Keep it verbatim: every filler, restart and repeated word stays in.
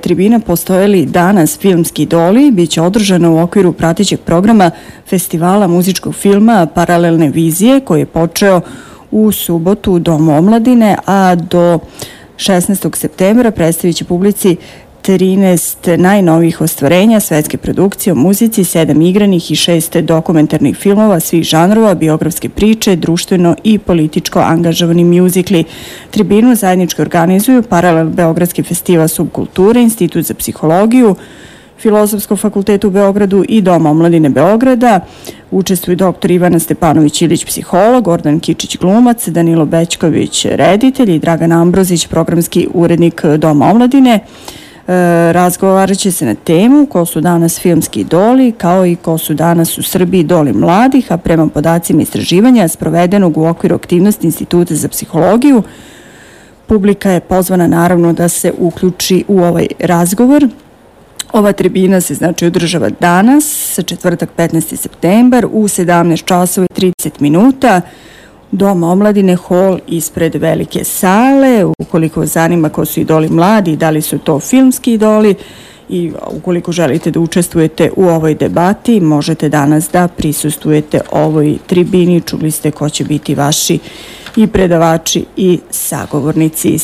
Tribina postoje li danas filmski idoli, biće održano u okviru pratećeg programa Festivala muzičkog filma Paralelne vizije, koji je počeo u subotu u Domu omladine, a do šesnaestog septembra predstavit će publici trinaest najnovijih ostvarenja svetske produkcije o muzici, sedam igranih i šest dokumentarnih filmova svih žanrova, biografske priče, društveno i političko angažovani mjuzikli. Tribinu zajednički organizuju Paralel Beogradski festival subkulture, Institut za psihologiju, Filozofskog fakulteta u Beogradu i Dom omladine Beograda. Učestvuju doktor Ivana Stepanović-Ilić, psiholog, Gordan Kičić, glumac, Danilo Bećković, reditelj i Dragan Ambrozić, programski urednik Doma omladine. E, razgovarat će se na temu ko su danas filmski idoli, kao i ko su danas u Srbiji idoli mladih, a prema podacima istraživanja sprovedenog u okviru aktivnosti Instituta za psihologiju, publika je pozvana naravno da se uključi u ovaj razgovor. Ova tribina se znači održava danas, četvrtak petnaesti septembar u sedamnaest časova i trideset minuta. Dom omladine, hol ispred velike sale. Ukoliko vas zanima ko su idoli mladi, da li su to filmski idoli i ukoliko želite da učestvujete u ovoj debati, možete danas da prisustujete ovoj tribini. Čuli ste ko će biti vaši i predavači i sagovornici.